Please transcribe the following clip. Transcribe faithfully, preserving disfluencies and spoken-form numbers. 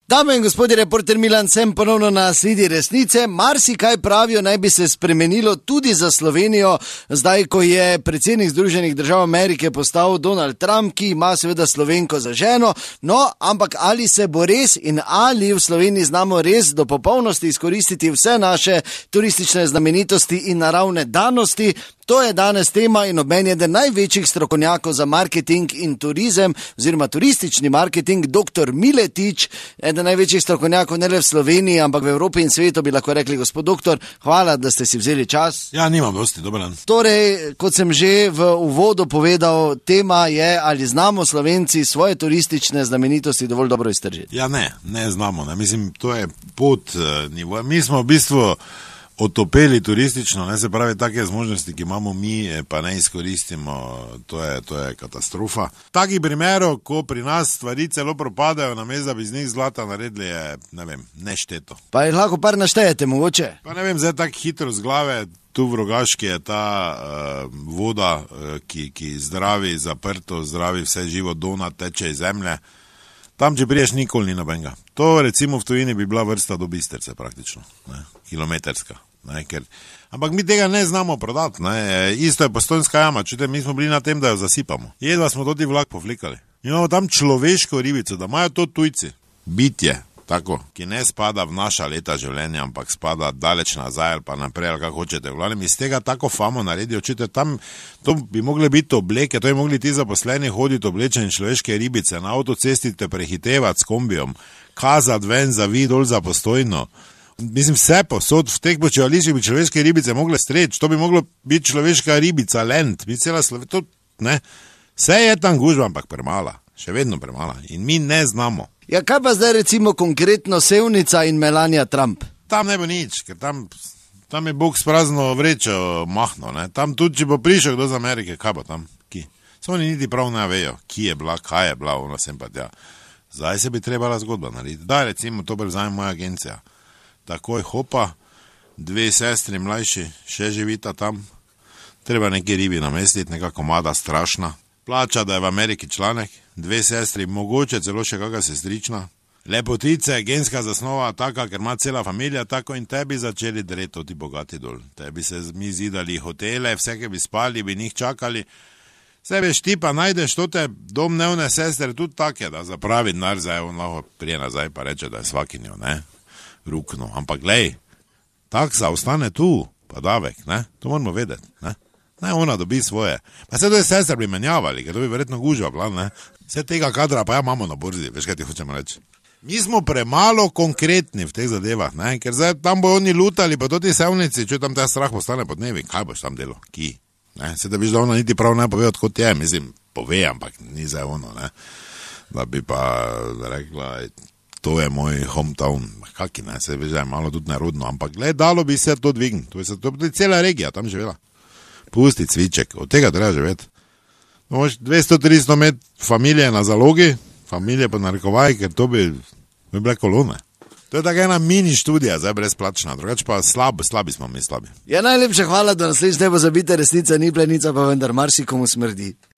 Dame in gospodje, reporter Milan, sem ponovno na sledi resnice. Marsikaj pravijo, naj bi se spremenilo tudi za Slovenijo, zdaj, ko je predsednik Združenih držav Amerike postal Donald Trump, ki ima seveda Slovenko za ženo. No, ampak ali se bo res in ali v Sloveniji znamo res do popolnosti izkoristiti vse naše turistične znamenitosti in naravne danosti? To je danes tema in ob meni eden največjih strokovnjakov za marketing in turizem, oziroma turistični marketing, doktor Miletič, eden največjih strokovnjakov ne le v Sloveniji, ampak v Evropi in svetu, bi lahko rekli. Gospod doktor, hvala, da ste si vzeli čas. Ja, nimam dosti, dober dan. Torej, kot sem že v uvodu povedal, tema je, ali znamo Slovenci svoje turistične znamenitosti dovolj dobro iztržiti. Ja, ne, ne znamo. Ne. Mislim, to je pod uh, nivoja. Mi smo v bistvu otopeli turistično, ne, se pravi, take zmožnosti, ki imamo mi, pa ne izkoristimo, to je, to je katastrofa. Takih primerov, ko pri nas stvari celo propadajo, namesto da bi z njih zlata naredili, je, ne vem, nešteto. Pa jih lahko par naštejete, mogoče? Pa ne vem, zdaj tako hitro z glave, tu v Rogaški je ta uh, voda, uh, ki, ki zdravi, zaprto, zdravi vse živo, dona teče iz zemlje. Tam, če priješ, nikoli ni nobenega. To recimo v tujini bi bila vrsta do Bistrice praktično, ne, kilometrska. Ne, ker, ampak mi tega ne znamo prodati. Ne. Isto je Postojnska jama, čujte, mi smo bili na tem, da jo zasipamo. Jedva smo toti vlak povlikali. Imamo tam človeško ribico, da imajo to tujci. Bitje, tako, ki ne spada v naša leta življenja, ampak spada daleč nazaj ali pa naprej, ali kako hočete. Vladem, iz tega tako famo naredijo, čujte, tam to bi mogle biti obleke, to bi mogli ti zaposleni hoditi oblečeni človeške ribice, na avtocesti te prehitevati s kombijom, kazati ven za vid, dol za Postojno. Mislim, vse posod v teh počivališčih bi človeške ribice mogle streči, to bi moglo biti človeška ribica, lent, bi cela Slovenija, to ne. Vse je tam gužba, ampak premala, še vedno premala in mi ne znamo. Ja, kaj pa zdaj recimo konkretno Sevnica in Melania Trump? Tam ne bo nič, ker tam, tam je Bog s prazno vrečo mahno, ne. Tam tudi, če bo prišel kdo z Amerike, kaj bo tam, ki? Samo oni niti prav ne vejo, ki je bila, kaj je bila, ono sem pa tja. Zdaj se bi trebala zgodba narediti. Daj, recimo, to prevzame moja agencija. Takoj hopa, dve sestri mlajši, še živita tam, treba neke ribi namestiti, neka komada strašna, plača, da je v Ameriki članek, dve sestri, mogoče celo še kakšna sestrična, lepotice, genska zasnova taka, ker ima cela familija tako in tebi začeli dreto ti bogati dol, tebi se mi zidali hotele, vse, ki bi spali, bi njih čakali, sebe štipa najdeš tote domnevne sestre tudi take, da zapravi denar, zdaj on lahko prije nazaj pa reče, da je svakinjo, ne? Rukno, ampak glej, taksa ostane tu, pa davek, ne, to moramo vedeti, ne, ne, ona dobi svoje, pa se to je sestra bi menjavali, ker to bi verjetno gužva bila, ne, vse tega kadra pa ja imamo na borzi, veš kaj ti hočemo reči. Mi smo premalo konkretni v teh zadevah, ne, ker zdaj tam bo oni lutali, pa to ti sevnici, če tam ta strah postane pod dnevi, kaj boš tam delo, ki, ne, se da biš da ona niti prav ne pove, odkot je, mislim, pove, ampak ni zdaj ono, ne, da bi pa rekla, to je moj hometown, kaki ne, se veš, je malo tudi nerodno, ampak gled, dalo bi se to dvigniti, to je, to je cela regija tam živela. Pusti cviček, od tega treba živeti. No, dvesto tristo met familije na zalogi, familije pa narekovaj, ker to bi, bi bile kolone. To je taka ena mini študija, zdaj brezplačna, drugače pa slab, slabi smo mi slabi. Ja, najlepša hvala, da naslednjič ne bo zabite, resnica ni plenica, pa vendar marsikomu smrdi.